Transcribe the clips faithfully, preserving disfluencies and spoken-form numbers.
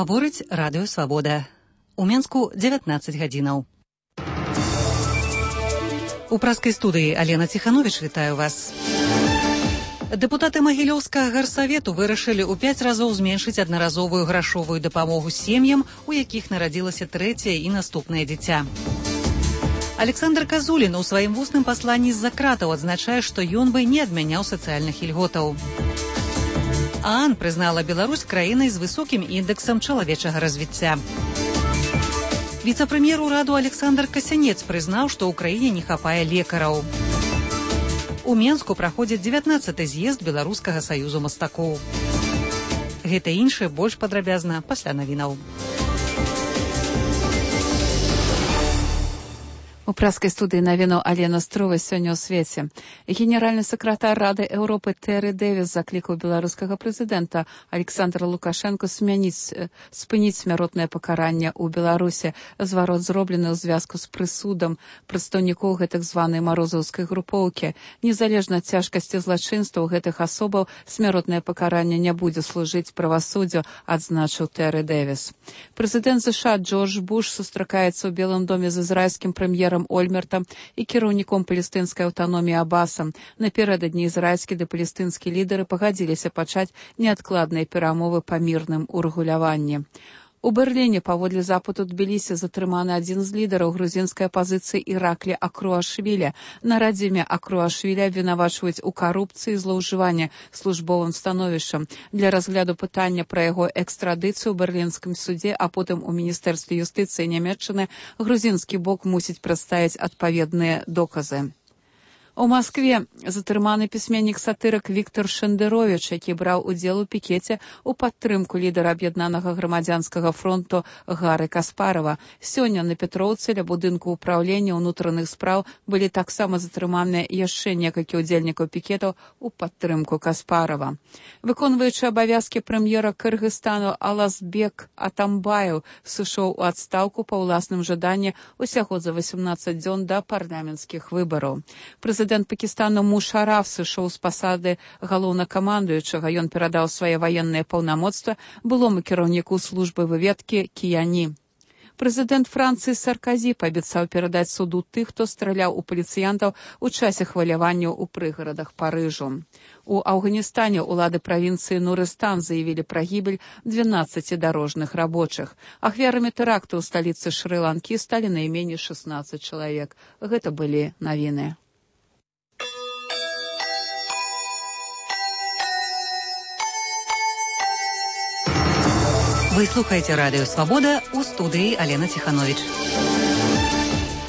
Гаворыць радыё «Свабода». У Менску дзевятнаццаць гадзінаў. У праскай студыі Алена Ціхановіч вітаю вас. Дэпутаты Магілёўскага гарсавету вырашылі ў пяць разоў зменшыць аднаразовую грашовую дапамогу сем'ям, у якіх нарадзілася трэцяе і наступнае дзіця. Александр Казулін у сваім вусным пасланні з-за кратаў адзначае, што ён бы не адмяняў сацыяльных ільготаў. ААН прызнала Беларусь краінай з высокім індэксам чалавечага развіцця. Віцэ-прэм'ер ураду Александр Касянец прызнаў, што ў краіне не хапае лекараў. У Менску праходзіць дзевятнаццаты з'езд Беларускага саюзу мастакоў. Гэта і іншае больш падрабязна пасля навінаў. У праскай студыі навіну Алена Строва сёння ў свеце. Генеральны сакратар Рады Еўропы Тэры Дэвіс заклікаў беларускага прэзідэнта Александра Лукашэнка смяніць, спыніць смяротнае пакаранне ў Беларусі. Зварот зроблены ў звязку з прысудам прадстаўнікоў гэтак званай марозаўскай групоўкі. Незалежна ад цяжкасці злачынстваў гэтых асобаў, смяротнае пакаранне не будзе служыць правасуддзю, адзначыў Тэры Дэвіс. Прэзідэнт ЗША Джордж Буш сустракаецца ў Белым доме з ізраільскім прэм'ерам Ольмертам і кіраўніком палестынскай аўтаноміі Абасам. Напярэдадні ізраільскі ды палестынскі лідары пагадзіліся пачаць неадкладныя перамовы па мірным урэгуляванні. У Берліне паводле запыту Тбілісі затрыманы адзін з лідараў грузінскай апазіцыі Іраклі Акруашвілі. На радзіме Акруашвілі абвінавачваюць у карупцыі і злоўжыванні службовым становішчам. Для разгляду пытання пра яго экстрадыцыю ў берлінскім судзе, а потым у міністэрстве юстыцыі Нямецчыны грузінскі бок мусіць прадставіць адпаведныя доказы. У Маскве затрыманы пісьменнік-сатырык Віктор Шендеровіч, які браў удзел у пікеце ў падтрымку лідара аб'яднанага грамадзянскага фронту Гары Каспарова. Сёння на Петроўцы ля будынку ўпраўлення ўнутраных спраў былі таксама затрыманыя яшчэ некалькі ўдзельнікаў пікетаў у падтрымку Каспарова. Выконваючы абавязкі прэм'ера Кыргызстану Алазбек Атамбаев сышоў у адстаўку па ўласным жаданні усяго за васямнаццаць дзён да парламенцкіх выбараў. Прэзідэнт Пакістану Мушараф сышоў з пасады галоўнакамандуючага. Ён перадаў свае ваенныя паўнамоцтва былому кіраўніку службы выведкі Кіяні. Прэзідэнт Францыі Сарказі паабяцаў перадаць суду тых, хто страляў у паліцыянтаў у часе хваляванняў у прыгарадах Парыжу. У Афганістане ўлады правінцыі Нурыстан заявілі пра гібель дванаццаці дарожных рабочых. Ахвярамі тэракту ў сталіцы Шры-Ланкі сталі найменей шаснаццаць чалавек. Гэта былі навіны. Вы слухаеце радыё «Свабода», у студыі Алена Ціхановіч.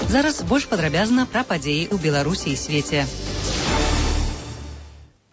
Зараз больш падрабязна пра падзеі ў Беларусі і свеце.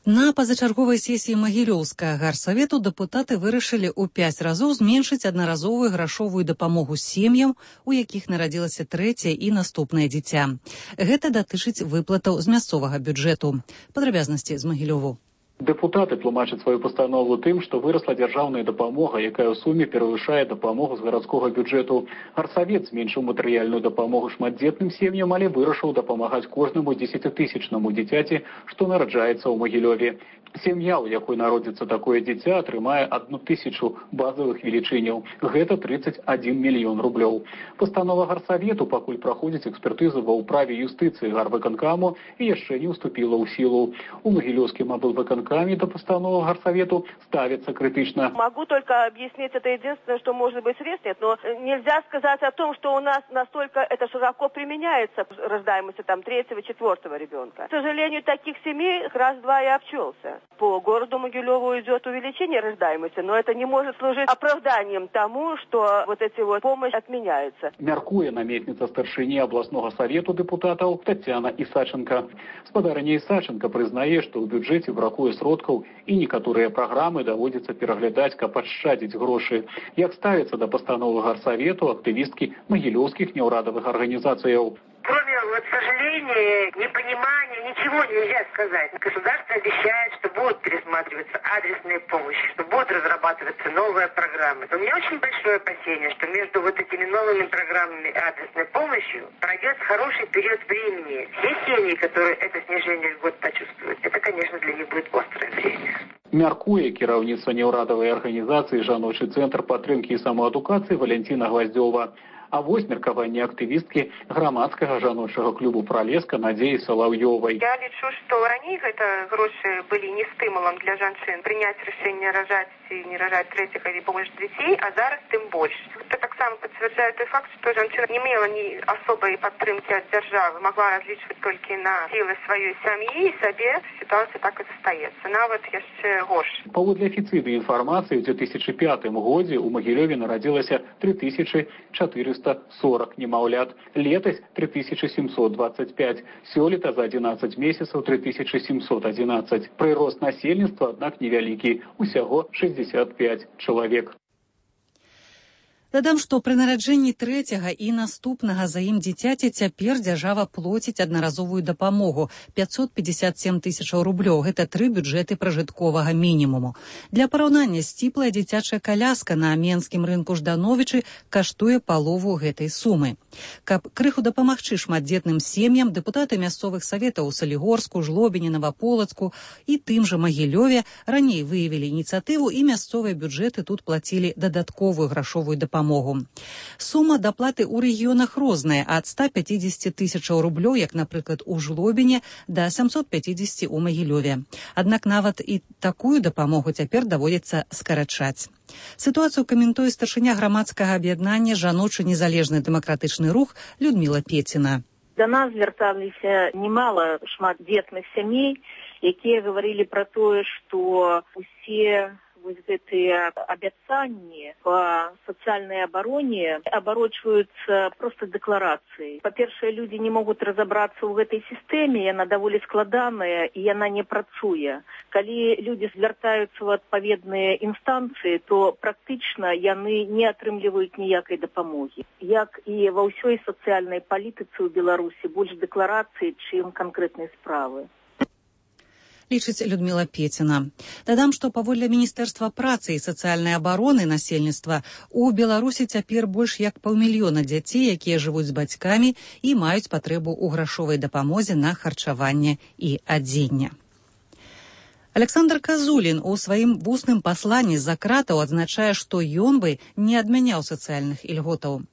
На пазачарговай сесіі Магілёўскага гарсавету дэпутаты вырашылі ў пяць разоў зменшыць аднаразовую грашовую дапамогу сем'ям, у якіх нарадзілася трэцяе і наступнае дзіця. Гэта датычыць выплатаў з мясцовага бюджэту. Падрабязнасці з Магілёву. Дэпутаты тлумачаць сваю пастанову тым, што вырасла дзяржаўная дапамога, якая ў суме перавышае дапамогу з гарадскога бюджэту. Гарсавет зменшыў матэрыяльную дапамогу шматдзетным сем'ям, але вырашыў дапамагаць кожнаму дзесяцітысячнаму дзіцяці, што нараджаецца ў Магілёве. Сям'я, у якой народзіцца такое дзіця, атрымае адну тысячу базавых велічыняў. Гэта трыццаць адзін мільён рублёў. Пастанова гарсавету пакуль праходзіць экспертызу ва ўправе юстыцыі гарвыканкаму і яшчэ не ўступіла ў сілу. У Магілёўскім аблвыканкаме до постановы горсовету ставится критично. Могу только объяснить, это единственное, что может быть средств нет, но нельзя сказать о том, что у нас настолько это широко применяется, рождаемости там третьего, четвертого ребенка. К сожалению, таких семей раз-два и обчелся. По городу Могилеву идет увеличение рождаемости, но это не может служить оправданием тому, что вот эти вот помощь отменяются. Мяркуе наместница старшыні областного совету депутатов Татьяна Исаченко. Спадарыня Исаченко прызнае, што ў бюджэце бракуе сродкаў і некаторыя праграмы даводзіцца пераглядаць, каб адшчадзіць грошы. Як ставіцца да пастановы гарсавету актывісткі магілёўскіх неўрадавых арганізацыяў? Кроме, вот, сожаления, непонимания, ничего нельзя сказать. Государство обещает, что будут пересматриваться адресные помощи, что будут разрабатываться новые программы. Но у меня очень большое опасение, что между вот этими новыми программами и адресной помощью пройдет хороший период времени. Все семьи, которые это снижение льгот почувствуют, это, конечно, для них будет острое время. Мяркуе кіраўніцтва неўрадавай арганізацыі «Жаночы цэнтр падтрымкі і самаадукацыі» Валентина Гваздзёва. А вось меркаванне актывісткі грамадскага жаночага клубу «Пралеска» Надзеі Салаўёвай. Я лічу, што раней гэта грошы былі не стымулам для жанчын прыняць рашэнне ражаць ці не ражаць трэціх или больш дзяцей, а зараз тым больш. Это таксама пацвярджае той факт, што жанчына не мела ні асобай падтрымкі ад дзяржавы, магла разлічваць толькі на сілы сваёй сям'і і сабе. Сітуацыя так і застаецца, нават яшчэ горш. Паводле афіцыйнай інфармацыі, у две тысячи пятым годзе ў Магілёве нарадзілася три тысячи четыреста сорок немаўлят, летась три тысячи семьсот двадцать пять, сёлета за одиннадцать месяцаў три тысячи семьсот одиннадцать. Прырост насельніцтва, аднак невялікі, усяго шестьдесят пять чалавек. Дадам, што пры нараджэнні трэцяга і наступнага за ім дзіцяці цяпер дзяржава плоціць аднаразовую дапамогу пятьсот пятьдесят семь тысячаў рублёў. Гэта тры бюджэты пражытковага мінімуму. Для параўнання, сціплая дзіцячая каляска на менскім рынку Ждановічы каштуе палову гэтай сумы. Каб крыху дапамагчы шматдзетным сем'ям, дэпутаты мясцовых саветаў у Салігорску, Жлобіне, Наваполацку і тым жа Магілёве раней выявілі ініцыятыву, і мясцовыя бюджэты тут плацілі дадатковую грашовую дапамогу. Сума даплаты ў рэгіёнах розная, ад ста пятидесяти тысячаў рублёў, як, напрыклад, у Жлобіне, да сямсот пятидесяти ў Магілёве. Аднак нават і такую дапамогу цяпер даводзіцца скарачаць. Сітуацыю каментуе старшыня грамадскага аб'яднання «Жаночы незалежны дэмакратычны рух» Людмила Пеціна. Да нас звярталіся немало шматдзетных сямей, якія гаварылі пра тое, што усе вось гэтыя абяцанні па сацыяльнай абароне абарочваюцца проста дэкларацыяй. Па-першае, людзі не могуць разабрацца ў гэтай сістэме, яна даволі складаная і яна не працуе. Калі людзі звяртаюцца ў адпаведныя інстанцыі, то практычна яны не атрымліваюць ніякай дапамогі. Як і ва ўсёй сацыяльнай палітыцы ў Беларусі, больш дэкларацыі, чым канкрэтнай справы. Лічыць Людмила Пеціна. Дадам, што паводле Міністэрства працы і сацыяльнай абароны насельніцтва у Беларусі цяпер больш як паўмільёна дзяцей, якія жывуць з бацькамі і маюць патрэбу ў грашовай дапамозе на харчаванне і адзенне. Александр Казулін у сваім вусным пасланні з-за кратаў адзначае, што ён бы не адмяняў сацыяльных ільготаў.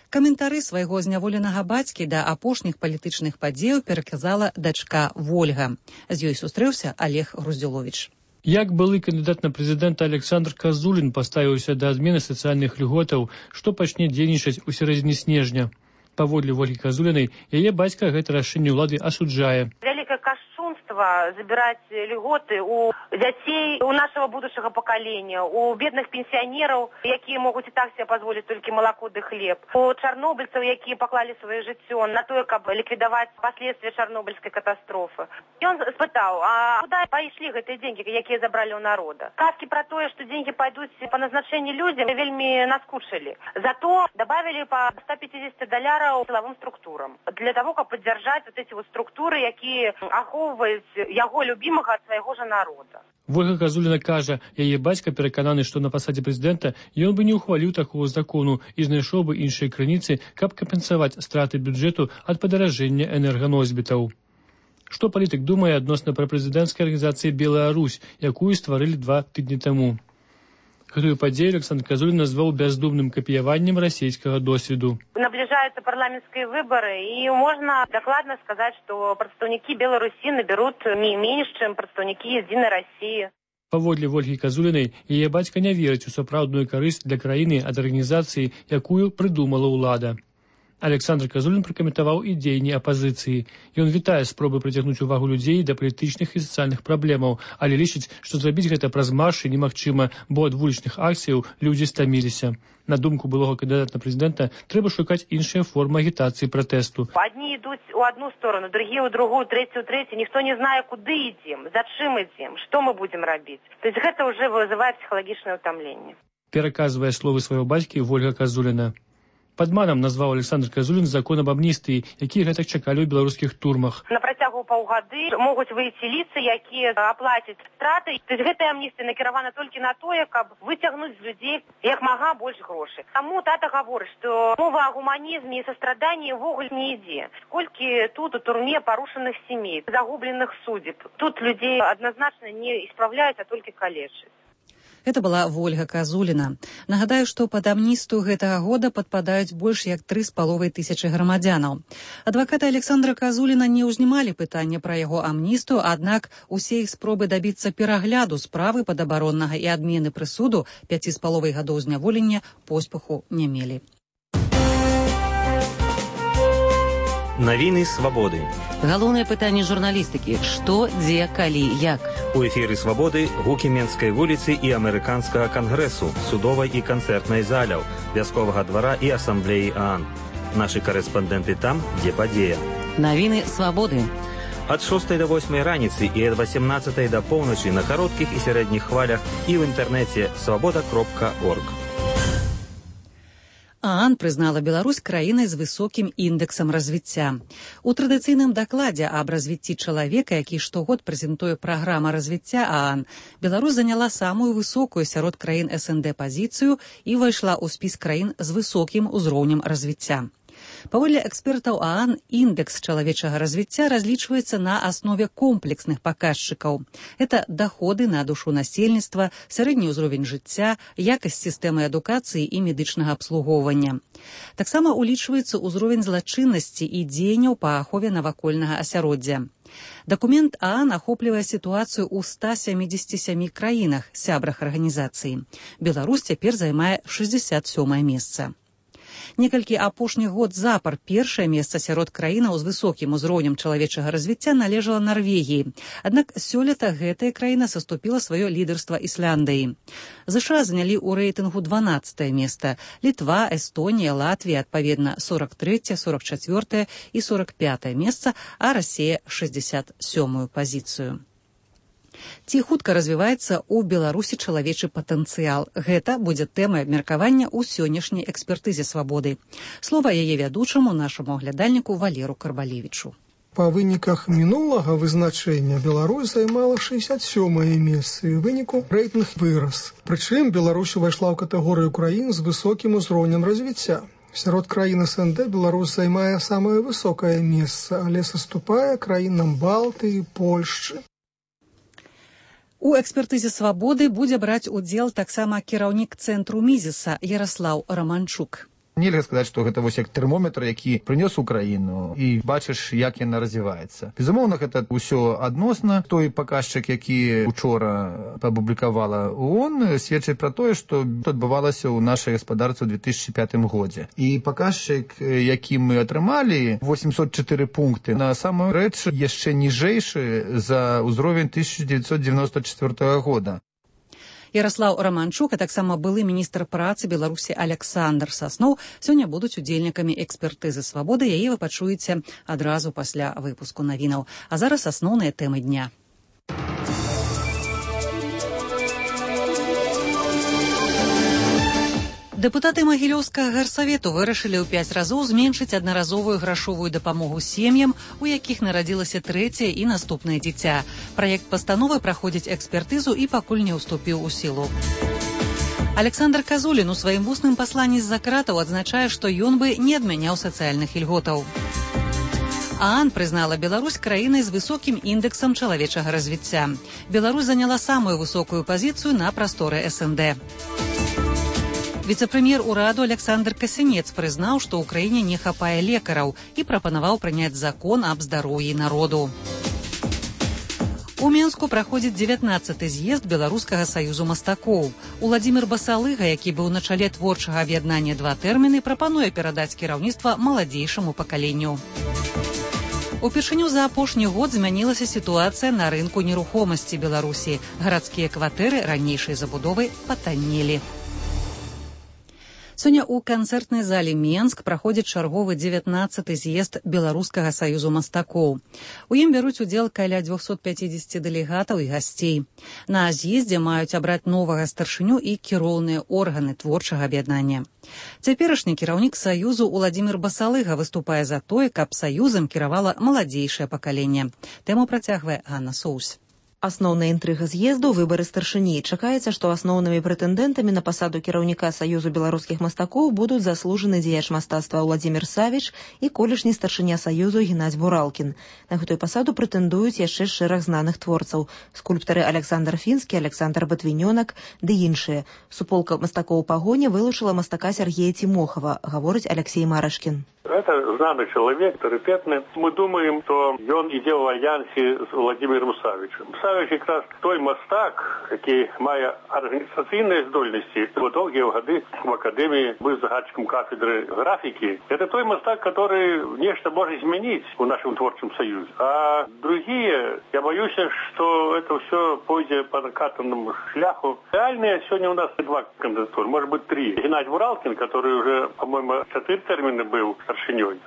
Каментары свайго зняволенага бацькі да апошніх палітычных падзеяў пераказала дачка Вольга. З ёй сустрэўся Олег Груздзюловіч. Як былы кандыдат на прэзідэнта Александр Казулін паставіўся да адмены сацыяльных льготаў, што пачне дзейнічаць у сярэдзіне снежня. Паводле Вольгі Казулінай, яе бацька гэта рашэнне ўлады асуджае. Вялікае кашчунства забіраць льготы у дзяцей, у нашага будучага пакалення, у бедных пенсіянераў, якія могуць і так себе пазволіць толькі малако ды хлеб, у чарнобыльцаў, якія паклалі сваё жыццё на тое, каб ліквідаваць паследствия чарнобыльскай катастрофы. Ён спытаў, а куды пайшлі гэтыя деньги, якія забралі ў народа? Казкі пра тое, што деньги пайдуць па назначэнні людзям, вельмі наскучылі. Зато добавили по ста пятидесяти доляраў силовым структурам для того, каб паддзяржаць вот эти вот структуры, якія ахоўваюць яго любімага ад свайго ж народа. Вольга Казуліна кажа, яе бацька перакананы, што на пасадзе прэзідэнта ён бы не ухваліў такого закону і знайшоў бы іншыя крыніцы, каб кампенсаваць страты бюджэту ад падаражэння энерганосьбітаў. Што палітык думае адносна пра прэзідэнцкай арганізацыі «Белая Русь», якую стварылі два тыдні таму? Гэтую падзею Александр Казулін назваў бяздумным капіяваннем расійскага досведу. Наближаются парламентские выборы, и можно докладно сказать, что представники Беларуси наберут не меньше, чем представники Единой России. Паводле Вольгі Казулінай, яе бацька не верыць у сапраўдную карысць для краіны ад арганізацыі, якую прыдумала ўлада. Александр Казулін пракаментаваў і дзеянні апазіцыі. Ён вітае спробы прыцягнуць увагу людзей да палітычных і сацыяльных праблемаў, але лічыць, што зрабіць гэта праз маршы немагчыма, бо ад вулічных акцыяў людзі стаміліся. На думку былога кандыдата на прэзідэнта, трэба шукаць іншыя формы агітацыі пратэсту. Одни идут у одну сторону, другие у другую, третью у третью. Никто не знае, куды идем, зачем идем, что мы будем робить. То есть это уже вызывает психологичное утомление. Пераказвае словы свайго бацькі Вольга Казуліна. Падманам назваў Александр Казулін закон об амністыі, які гэтак чакалі ў беларускіх турмах. На працягу паўгады могуць выйти лица, якія аплацяць страты. То есть гэтая амністыя накіравана толькі на тое, каб выцягнуць з людзей як мага больш грошай. Таму тата гаворыць, што мова о гуманізме і састраданні ўвогуле не ідзе. Колькі тут у турме парушаных семей, загубленых судеб. Тут людей однозначно не исправляют, а только калечат. Это была Вольга Казуліна. Нагадаю, што пад амністыю гэтага года падпадаюць больш як тры з паловай тысячы грамадзянаў. Адвакаты Александра Казуліна не ўзнімалі пытання пра яго амністыю, аднак усе іх спробы дабіцца перагляду справы падабароннага і адмены прысуду пяці з паловай гадоў зняволення поспеху не мелі. Навіны свабоды. Галоўнае пытанне журналістыкі: што, дзе, калі, як. У эфіры свабоды гукі Менскай вуліцы і амерыканскага кангрэсу, судовай і канцэртнай заляў, вясковага двара і асамблеі ААН. Нашы карэспандэнты там, дзе падзея. Навіны свабоды. Ад шостай да восьмай раніцы і ад васемнаццатай да поўначы на кароткіх і сярэдніх хвалях і ў інтэрнэце свабода кропка орг. ААН прызнала Беларусь краінай з высокім індэксам развіцця. У традыцыйным дакладзе аб развіцці чалавека, які штогод прэзентуе праграма развіцця ААН, Беларусь заняла самую высокую сярод краін СНД пазіцыю і ўвайшла ў спіс краін з высокім узроўнем развіцця. Паводле экспертаў ААН, індекс чалавечага развіцця разлічваецца на аснове комплексных паказчыкаў. Это даходы на душу насельніцтва, сярэдні ўзровень жыцця, якасць сістэмы адукацыі і медычнага абслугоўвання. Таксама улічваецца ўзровень злачыннасці і дзеянняў па ахове навакольнага асяроддзя. Дакумент ААН ахоплівае сітуацыю ў ста сямідзесяці сямі краінах, сябрах арганізацыі. Беларусь цяпер займае шэсцьдзесят сёмае месца. Некалькі апошніх год запар першае месца сярод краінаў з высокім узроўнем чалавечага развіцця належала Нарвегіі. Аднак сёлета гэтая краіна саступіла сваё лідарства Ісляндыі. ЗША занялі ў рэйтынгу дванаццатае месца, Літва, Эстонія, Латвія адпаведна сорак трэцяе, сорак чацвёртае і сорак пятае месца, а Расія шэсцьдзесят сёмую пазіцыю. Ці хутка развіваецца ў Беларусі чалавечы патэнцыял? Гэта будзе тэмай абмеркавання ў сённяшняй экспертызе свабоды. Слова яе вядучаму, нашаму аглядальніку Валеру Карбалевічу. Па выніках мінулага вызначэння Беларусь займала шэсцьдесят сёмае месца, і ў выніку рэйтынг вырас. Прычым Беларусь увайшла ў катэгорыю краін з высокім узроўнем развіцця. Сярод краін СНД Беларусь займае самае высокае месца, але саступае краінам Балтыі, Польшчы. У экспертызе свабоды будзе браць удзел таксама кіраўнік цэнтру Мізіса Яраслаў Раманчук. Нельга сказаць, што гэта вось як тэрмометр, які прынёс у краіну, і бачыш, як яна развіваецца. Безумоўна, гэта ўсё адносна. Той паказчык, які учора апублікавала ООН, сведчыць пра тое, што адбывалася ў нашай гаспадарцы ў две тысячы пятым годзе. І паказчык, які мы атрымалі, восемьсот чатыры пункты, на самую рэч яшчэ ніжэйшы за ўзровень тысяча дзевяцьсот дзевяноста чацвёртага года. Яраслаў Раманчук, а таксама былы міністр працы Беларусі Александр Сасноў сёння будуць удзельнікамі экспертызы свабоды. Яе вы пачуеце адразу пасля выпуску навінаў. А зараз асноўныя тэмы дня. Дэпутаты Магілёўскага гарсавету вырашылі ў пяць разоў зменшыць аднаразовую грашовую дапамогу сем'ям, у якіх нарадзілася трэцяе і наступнае дзіця. Праект пастановы праходзіць экспертызу і пакуль не ўступіў у сілу. Александр Казулін у сваім вусным пасланні з-за кратаў адзначае, што ён бы не адмяняў сацыяльных ільготаў. ААН прызнала Беларусь краінай з высокім індэксам чалавечага развіцця. Беларусь заняла самую высокую пазіцыю на прасторы СНД. Віцэ-прэм'ер ураду Александр Касінец прызнаў, што ў краіне не хапае лекараў і прапанаваў прыняць закон аб здароўі народу. У Менску праходзіць дзевятнаццаты з'езд Беларускага саюзу мастакоў. Уладзімір Басалыга, які быў на чале творчага аб'яднання «Два тэрміны», прапануе перадаць кіраўніцтва маладзейшаму пакаленню. Упершыню за апошні год змянілася сітуацыя на рынку нерухомасці Беларусі. Гарадскія кватэры ранейшай забудовы патаннелі. Сёння ў канцэртнай зале Менск праходзіць чарговы дзевятнаццаты з'езд Беларускага саюзу мастакоў. У ім бяруць удзел каля дзвюсот пяцідзесяці дэлегатаў і гасцей. На з'ездзе маюць абраць новага старшыню і кіроўныя органы творчага аб'яднання. Цяперашні кіраўнік саюзу Уладзімір Басалыга выступае за тое, каб саюзам кіравала маладзейшае пакаленне. Тэму працягвае Анна Соус. Асноўная інтрыга з'езду – выбары старшыні. Чакаецца, што асноўнымі прэтэндэнтамі на пасаду кіраўніка Саюзу беларускіх мастакоў будуць заслужаны дзеяч мастацтва Уладзімір Савіч і колішні старшыня Саюзу Геннадзь Буралкін. На гэтую пасаду прэтэндуюць яшчэ шэраг знаных творцаў – скульптары Александр Фінскі, Александр Батвінёнак ды іншыя. Суполка мастакоў пагоня вылучыла мастака Сергея Тимохова, гаворыць Алексей Марашкін. Это знамый человек, авторитетный. Мы думаем, что он идет в альянсе с Владимиром Савичем. Савич как раз той мастак, який має організаційні здольності. Вот долгие годы в академии был загадчиком кафедры графики. Это той мастак, который нечто может изменить в нашем творческом союзе. А другие, я боюсь, что это все пойдет по накатанному шляху. Реальные сегодня у нас два кандидатуры, может быть три. Геннадий Буралкин, который уже, по-моему, четыре термина был старшиней.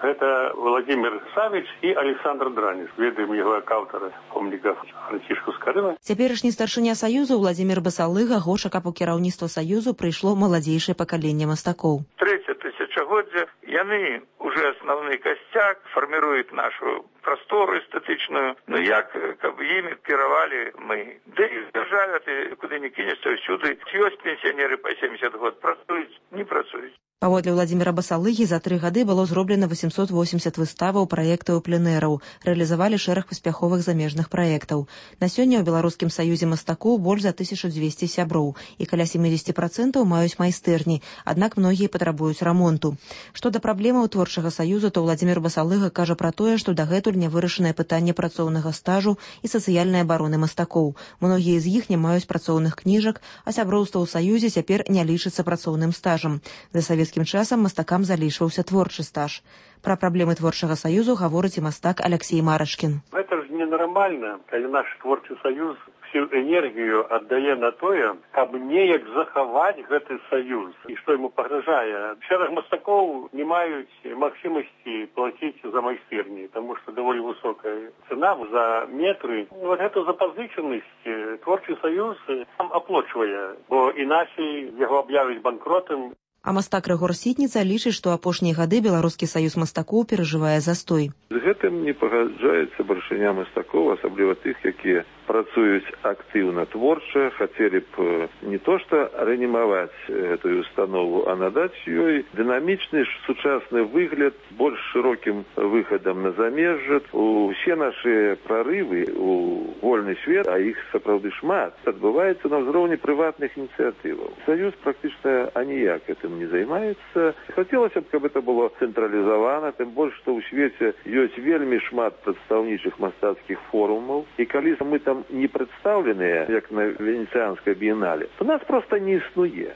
Это Владимир Савич и Александр Дранис. Ведаем его как автора помника Францишку Скорына. Цяперашні старшыня Саюзу Владимир Басалыга хоча, каб у кіраўніцтва Саюзу прыйшло маладзейшае пакаленне мастакоў. Трэцяе тысячагоддзе яны уже асноўны касцяк фарміруюць нашу прастору эстэтычную. Ну як, каб імі кіравалі мы. Да і дзяржаве ты куды не кінешся ўсюды. Ёсць пенсіянеры па сямдзесят год, працуюць, не працуюць. Паводле Владзіміра Басалыгі за тры гады было зроблена восемьсот восемьдесят выставаў, праектаў, пленэраў. Рэалізавалі шэраг паспяховых замежных праектаў. На сёння ў Беларускім саюзе мастакоў больш за тысячу дзвесце сяброў і каля семьдесят процентов маюць майстэрні, аднак многія патрабуюць рамонту. Што да праблемаў творчага саюза, то Владзімір Басалыга кажа пра тое, што дагэтуль не вырашанае пытанне працоўнага стажу і сацыяльнай абароны мастакоў. Многія з іх не маюць працоўных кніжак, а сяброўства ў саюзе цяпер не лічыцца працоўным стажам. За савецкім часам мастакам залічваўся творчы стаж. Пра праблемы творчага саюзу гаворыць і мастак Алексей Марашкін. Это ж ненармальна, калі наш творчы саюз всю энергію аддае на тое, каб неяк захаваць гэты саюз. І што яму пагражае? Шэраг мастакоў не маюць магчымасці плаціць за майстэрні, таму што даволі высокая цена за метры. Вот эту запазычанасць творчы саюз сам аплочвае, бо іначай яго аб'явяць банкротам. А мастак Рыгор Сітніца лічыць, што апошнія гады Беларускі саюз мастакоў перажывае застой. З гэтым не пагаджаецца барышыня мастакоў, асабліва тых, якія працуюць актыўна творча, хацелі б не то што рэанімаваць гэтую установу, а надаць ёй дынамічны сучасны выгляд больш шырокім выхадам на замежжа. Усе нашы прарывы у вольны свет, а іх сапраўды шмат, адбываецца на ўзроўні прыватных ініцыятываў. Саюз практычна аніяк гэтым не займаецца. Хацелася б, каб это было цэнтралізавана, тым больш, што ў свеце ёсць вельмі шмат прадстаўнічых мастацкіх форумаў, і калі мы там не прадстаўленыя, як на Венецыянскай біенале, то нас проста не існуе.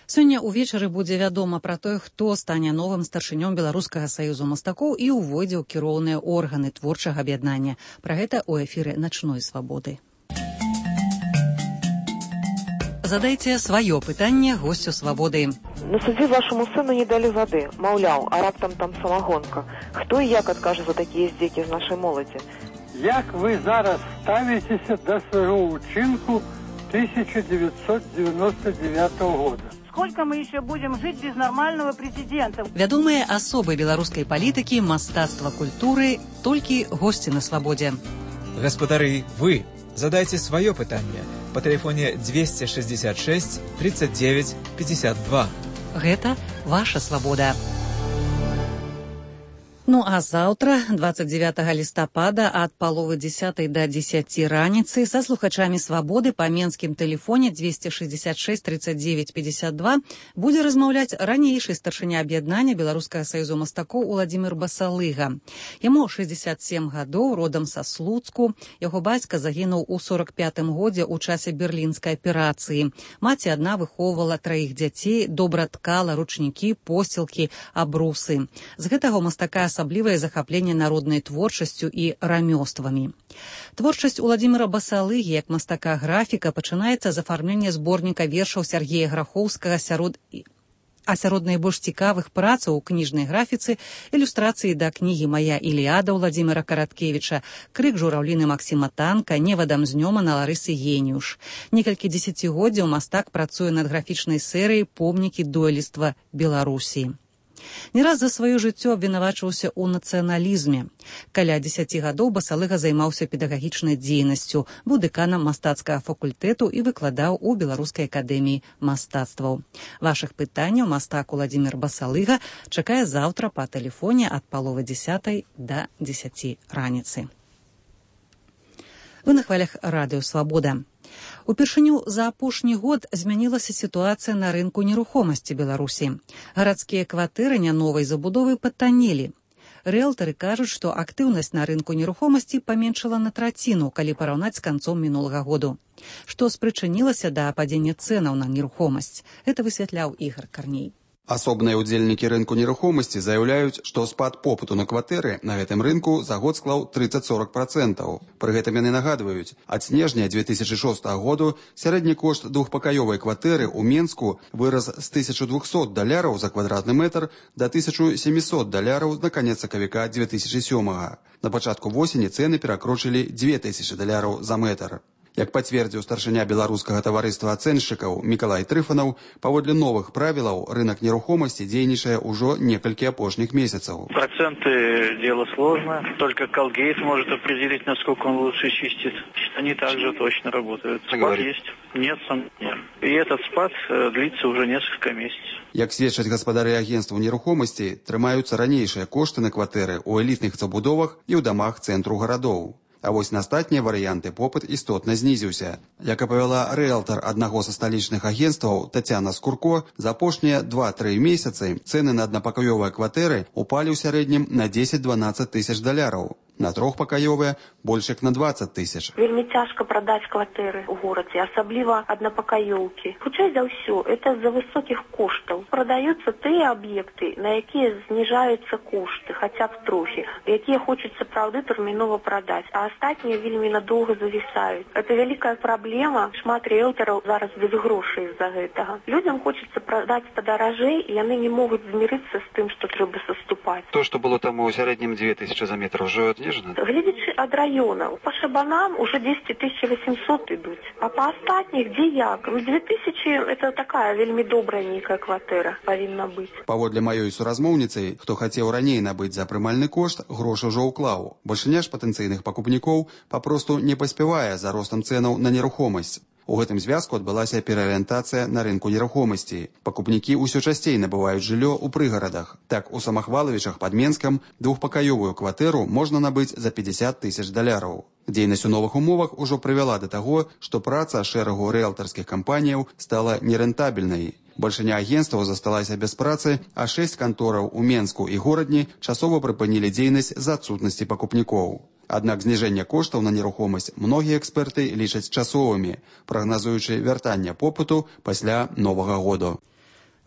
Сёння ўвечары будзе вядома пра тое, хто стане новым старшынём Беларускага саюзу мастакоў і ўвойдзе ў кіроўныя органы творчага аб'яднання. Пра гэта ў эфіры «Начной свабоды». Задайце сваё пытанне госцю «Свабоды». На судзе вашаму сыну не далі вады. Маўляў, а раптам там самагонка. Хто і як адкажа за такія здзекі з нашай моладзі? Як вы зараз ставіцеся да свайго ўчынку тысяча девятьсот девяносто девятого года? Сколько мы еще будем жить без нормального президента? Вядомыя асобы беларускай палітыкі, мастацтва, культуры, толькі госці на «Свабодзе». Гаспадары, вы задайте свое пытанне по телефоне двести шестьдесят шесть тридцать девять пятьдесят два. Гэта ваша свабода. Ну а заўтра, двадцать девятого лістапада, ад паловы дзесятай да дзесяці раніцы са слухачамі «Свабоды» па менскім тэлефоне двести шестьдесят шесть тридцать девять пятьдесят два будзе размаўляць ранейшы старшыня аб'яднання Беларускага саюзу мастакоў Уладзімір Басалыга. Яму шэсцьдзесят сем гадоў, родам са Слуцку. Яго бацька загінуў у сорок пятым годзе ў часе берлінскай аперацыі. Маці адна выхоўвала траіх дзяцей, добра ткала ручнікі, посцілкі, абрусы. З гэтага мастака асаблівае захапленне народнай творчасцю і рамёствамі. Творчасць Уладзіміра Басалыгі як мастака-графіка пачынаецца з афармлення зборніка вершаў Сергея Грахоўскага сярод А сярод найбольш цікавых працаў у кніжнай графіцы ілюстрацыі да кнігі «Мая Іліада» Владзіміра Караткевіча, «Крык жураўліны» Максіма Танка, «Невадам з Нёмана» Ларысы Геніуш. Некалькі дзесяцігоддзяў мастак працуе над графічнай серыяй «Помнікі дойлідства Беларусі». Не раз за сваё жыццё абвінавачваўся ў нацыяналізме. Каля дзесяці гадоў Басалыга займаўся педагагічнай дзейнасцю, быў дэканам мастацкага факультэту і выкладаў у Беларускай акадэміі мастацтваў. Вашых пытанняў мастак Уладзімір Басалыга чакае заўтра па тэлефоне ад паловы дзесятай да дзесяці раніцы. Вы на хвалях радыё «Свабода». Упершыню за апошні год змянілася сітуацыя на рынку нерухомасці Беларусі. Гарадскія кватэры няновай забудовы патаннелі. Рыэлтары кажуць, што актыўнасць на рынку нерухомасці паменшала на траціну, калі параўнаць з канцом мінулага году. Што спрычынілася да падзення цэнаў на нерухомасць, гэта высвятляў Ігар Карней. Асобныя ўдзельнікі рынку нерухомасці заяўляюць, што спад попыту на кватэры на гэтым рынку за год склаў трыццаць-сорок працэнтаў. Пры гэтым яны нагадваюць, ад снежня дзве тысячы шостага году сярэдні кошт двухпакаёвай кватэры ў Менску вырас з тысячы двухсот даляраў за квадратны метр да тысячы сямісот даляраў на канец сакавіка дзве тысячы сёмага. На пачатку восені цэны перакрочылі дзве тысячы даляраў за метр. Як пацвердзіў старшыня беларускага таварыства ацэншчыкаў Мікалай Трыфанаў, паводле новых правілаў рынок нерухомасти дзейнічае ўжо некалькі апошніх месяцаў. Проценты дело сложно, только Колгейт может определить, насколько он лучше чистит. Они также точно работают. Спад есть? Нет сомнений. И этот спад длится уже несколько месяцев. Як сведчаць гаспадары агенцтваў нерухомасці, трымаюцца ранейшыя кошты на кватэры ў элітных забудовах і ў дамах цэнтру гарадоў. А вось на астатнія варыянты попыт істотна знізіўся. Як апавяла рыэлтар аднаго са сталічных агенцтваў Тацяна Скурко, за апошнія два-тры месяцы цэны на аднапакаёвыя кватэры упалі ў сярэднім на дзесяць-дванаццаць тысяч даляраў. На трохпакаёвыя больш як на дваццаць тысяч. Вельмі цяжка прадаць кватэры ў горадзе, асабліва аднапакаёўкі. Хутчэй за ўсё, это з-за высокіх коштаў. Прадаюцца тыя аб'екты, на якія зніжаюцца кошты, хаця б трохі, якія хочуць сапраўды тэрмінова прадаць, а астатнія вельмі надоўга завісаюць. Это вялікая праблема. Шмат рыэлтараў зараз без грошай з-за гэтага. Людзям хочацца прадаць падаражэй, і яны не могуць змірыцца з тым, што трэба саступаць. То, што было там у сярэднім дзве тысячы за метр, ўжо глядзячы ад раёнаў, па шабанам уже дзесяць тысяч васемьсот ідуць, а па астатніх дзе як? две тысячи это такая вельмі добрая нейкая кватэра павінна быць. Паводле маёй суразмоўніцы, хто хацеў раней набыць за прымальны кошт, грошы ўжо ўклаў. Большыня ж патэнцыйных пакупнікоў папросту не паспявае за ростам цэнаў на нерухомасць. У гэтым звязку адбылася пераарыентацыя на рынку нерухомасці. Пакупнікі ўсё часцей набываюць жыллё ў прыгарадах. Так, у Самахвалавічах пад Менскам двухпакаёвую кватэру можна набыць за пятьдесят тысяч даляраў. Дзейнасць у новых умовах ужо прывяла да таго, што праца шэрагу рыэлтарскіх кампаніяў стала нерэнтабельнай. Большыня агенцтваў засталася без працы, а шэсць кантораў у Менску і горадні часова прыпынілі дзейнасць з-за адсутнасці пакупнікоў. Аднак зніжэнне коштаў на нерухомасць многія эксперты лічаць часовымі, прагназуючы вяртанне попыту пасля новага году.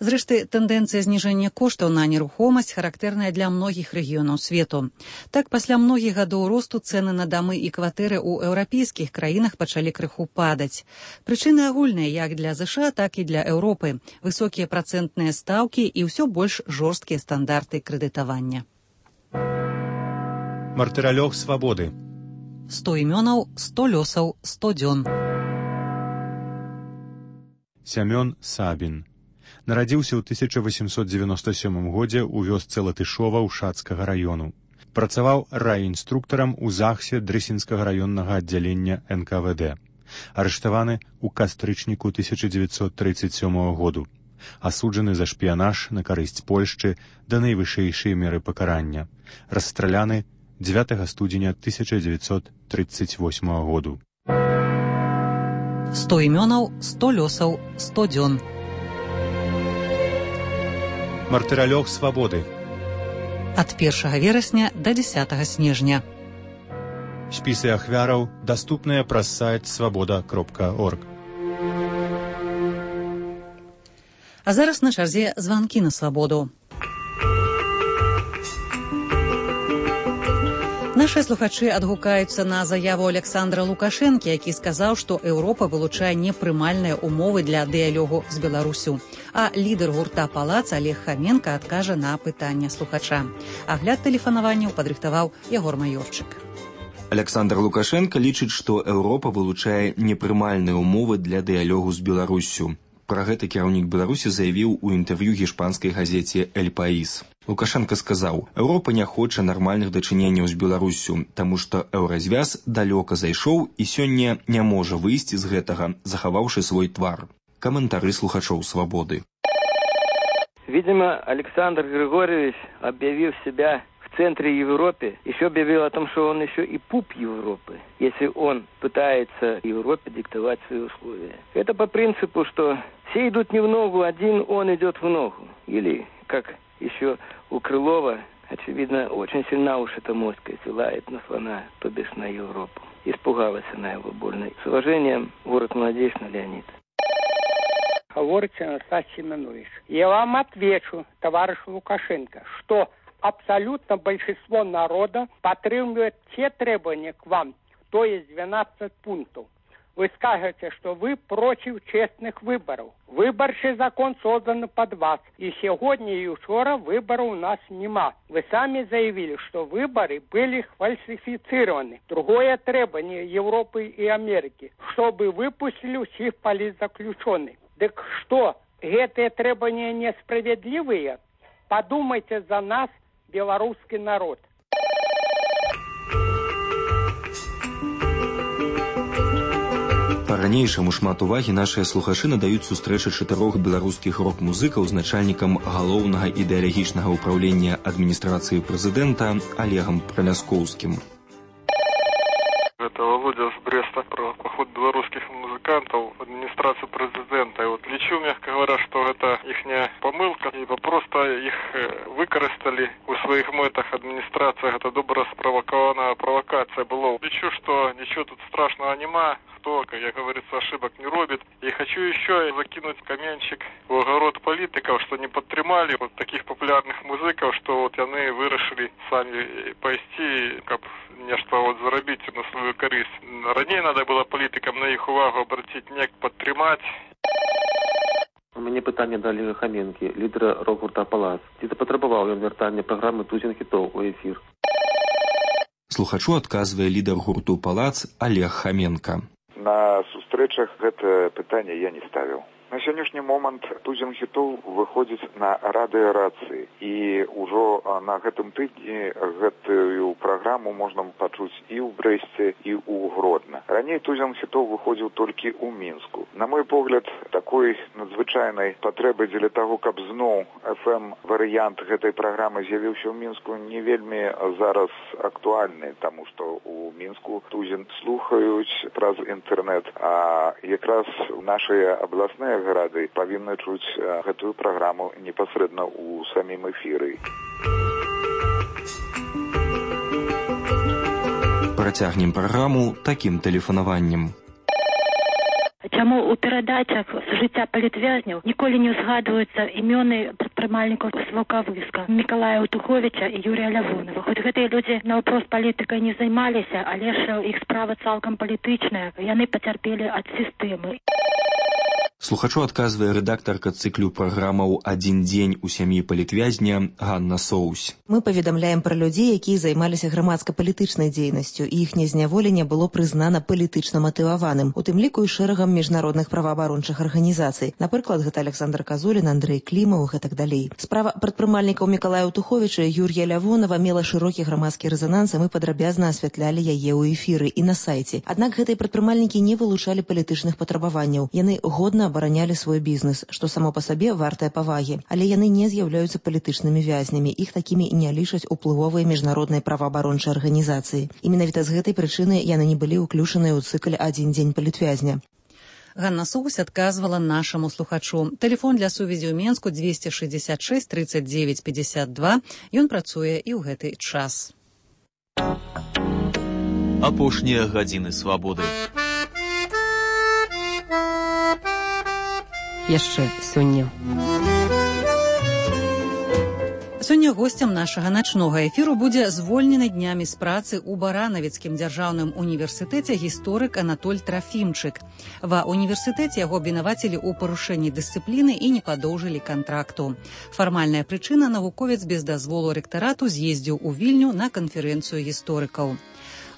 Зрэшты, тэндэнцыя зніжэння коштаў на нерухомасць характэрная для многіх рэгіёнаў свету. Так, пасля многіх гадоў росту цэны на дамы і кватэры ў еўрапейскіх краінах пачалі крыху падаць. Прычыны агульныя як для ЗША, так і для Еўропы. Высокія працэнтныя стаўкі і ўсё больш жорсткія стандарты крэдытавання. Мартыралёг свабоды. сто імёнаў, сто лёсаў, сто дзён. Сямён Сабін. Нарадзіўся ў тысяча восемьсот девяносто сёмым годзе ў вёсцы Латышова Ушацкага раёну. Працаваў райінструктарам у ЗАГСе Дрэсінскага раённага аддзялення эн ка вэ дэ. Арыштаваны ў кастрычніку тысяча дзевяцьсот тридцать сёмага году. Асуджаны за шпіянаж на карысць Польшчы да найвышэйшай меры пакарання. Расстраляны дзевятага студзеня тысяча дзевяцьсот тридцать восьмага году. сто імёнаў, сто лёсаў, сто дзён. Мартыралёг свабоды. Ад першага верасня да дзесятага снежня. Спісы ахвяраў даступныя праз сайт свабода кропка орг. А зараз на чарзе званкі на свабоду. Наш Нашыя слухачы адгукаюцца на заяву Александра Лукашэнкі, які сказаў, што Еўропа вылучае непрымальныя умовы для дыялогу з Беларусю. А лідар гурта «Палац» Олег Хоменко адкажа на пытанне слухача. Агляд тэлефанаванняў падрыхтаваў Ягор Маёрчык. Александр Лукашенко лічыць, што Еўропа вылучае непрымальныя умовы для дыялогу з Беларусю. Пра гэта кіраўнік Беларусі заявіў у інтэрв'ю гішпанскай газеце «Эль Паís». Лукашенко сказаў, Еўропа не хоча нармальных дачыненняў з Беларусю, таму што еўразвяз далёка зайшоў і сёння не можа выйсці з гэтага, захаваўшы свой твар. Каментары слухачоў «Свободы». Видимо, Александр Григорьевич, объявив себя в центре Европы, еще объявил о том, что он еще и пуп Европы, если он пытается Европе диктовать свои условия. Это по принципу, что все идут не в ногу, один он идет в ногу. Или, как еще у Крылова, очевидно, очень сильна уж эта моська, силает на слона, то бишь на Европу. Испугалась она его больно. С уважением, город Молодечно, Леонид. Говорит Анастасий Семенович. Я вам отвечу, товарищ Лукашенко, что абсолютно большинство народа подтримывает те требования к вам, то есть двенадцать пунктов. Вы скажете, что вы против честных выборов. Выборчий закон создан под вас. И сегодня и вчера выборов у нас нема. Вы сами заявили, что выборы были фальсифицированы. Другое требование Европы и Америки, чтобы выпустили всех политзаключенных. Так что, эти требования несправедливые? Подумайте за нас, белорусский народ. Па-ранейшаму шмат увагі нашыя слухачы надаюць сустрэчы чатырох беларускіх рок-музыкаў з начальнікам галоўнага ідэалагічнага ўпраўлення адміністрацыі прэзідэнта Олегам Праляскоўскім. Это Володя с Бреста про поход белорусских музыкантов в администрацию президента. И вот лечу, мягко говоря, что это ихняя помылка, ибо просто их выкористали у своих мэтах администрациях. Это добро спровокованная провокация была. Лечу, что ничего тут страшного нема. Кто, как я говорится, ошибок не робит. И хочу еще закинуть каменчик в огород политиков, что не подтримали вот таких популярных музыков, что вот они вырашили сами пойти, как нечто вот заробить на свою користь. Ранее надо было політикам на їх увагу обратить, не підтримати. У мяне пытанне да Олега Хоменкі, лідера рок-гурта «Палац». Ці запатрабаваў ён вяртання праграмы «Тузін хітоў» у эфір? Слухачу адказвае лідар гурту «Палац» Олег Хоменко. На сустрэчах гэта пытанне я не ставіў. На сённяшні момант «Тузін хітоў» выходзіць на радыёрацыі. І ўжо на гэтым тыдні гэтую праграму можна пачуць і ў Брэсце, і ў Гродна. Раней «Тузін хітоў» выходзіў толькі ў Мінску. На мой погляд, такой надзвычайнай патрэбы дзеля таго, каб зноў эф эм-варыянт гэтай праграмы з'явіўся ў Мінску, не вельмі зараз актуальны, таму што ў Мінску «Тузін» слухаюць праз інтэрнэт, а якраз нашыя абласныя гарады павінны чуць гэтую праграму непасрэдна ў самім эфіры. Працягнем праграму такім тэлефанаваннем. Чаму ў перадачах з жыцця палітвязняў ніколі не ўзгадваюцца імёны прадпрымальнікаў з Ваўкавыска, Мікалая Утуховіча і Юрія Лявонова. Хоць гэтыя людзі наўпрост палітыкай не займаліся, але ж іх справа цалкам палітычная, яны пацярпелі ад сістэмы. Слухачу адказвае рэдактарка цыклю праграмаў «Адзін дзень у сям'і палітвязня» Ганна Соусь. Мы паведамляем пра людзей, якія займаліся грамадска-палітычнай дзейнасцю, і іхняе зняволенне было прызнана палітычна матываваным, у тым ліку і шэрагам міжнародных праваабарончых арганізацый. Напрыклад, гэта Александр Казулін, Андрэй Клімаў і гэтак далей. Справа прадпрымальнікаў Мікалая Утуховіча і Юрія Лявонова мела шырокі грамадскі рэзананс, і мы падрабязна асвятлялі яе ў эфіры і на сайце. Аднак гэтыя прадпрымальнікі не вылучалі палітычных патрабаванняў. Яны годна абаранялі свой бізнес, што само па сабе вартае павагі. Але яны не з'яўляюцца палітычнымі вязнямі. Іх такімі не лічаць уплывовыя міжнародныя праваабарончыя арганізацыі. І менавіта з гэтай прычыны яны не былі ўключаныя ў цыкль «Адзін дзень палітвязня». Ганна Соусь адказвала нашаму слухачу. Тэлефон для сувязі ў Менску двести шестьдесят шесть тридцать девять пятьдесят два. Ён працуе і ў гэты час. Апошнія гадзіны свабоды. Яшчэ сёння. Сёння госцем нашага начнога эфіру будзе звольнены днямі з працы ў Баранавіцкім дзяржаўным універсітэце гісторык Анатоль Трафімчык. Ва універсітэце яго абвінавацілі ў парушэнні дысцыпліны і не падоўжылі кантракту. Фармальная прычына — навуковец без дазволу рэктарату з'ездзіў у Вільню на канферэнцыю гісторыкаў.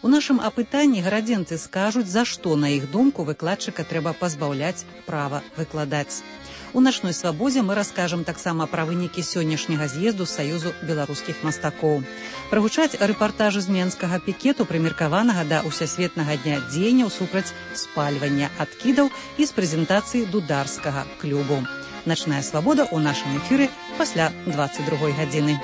У нашым апытанні гарадзенцы скажуць, за што, на іх думку, выкладчыка трэба пазбаўляць права выкладаць. У начной свабодзе мы раскажам таксама пра вынікі сённяшняга з'езду Саюзу беларускіх мастакоў. Прагучаць рэпартажы з менскага пікету, прымеркаванага да ўсясветнага дня дзеянняў супраць спальвання адкідаў і з прэзентацыі дударскага клубу. Начная свабода ў нашым эфіры пасля дваццаць другой гадзіны.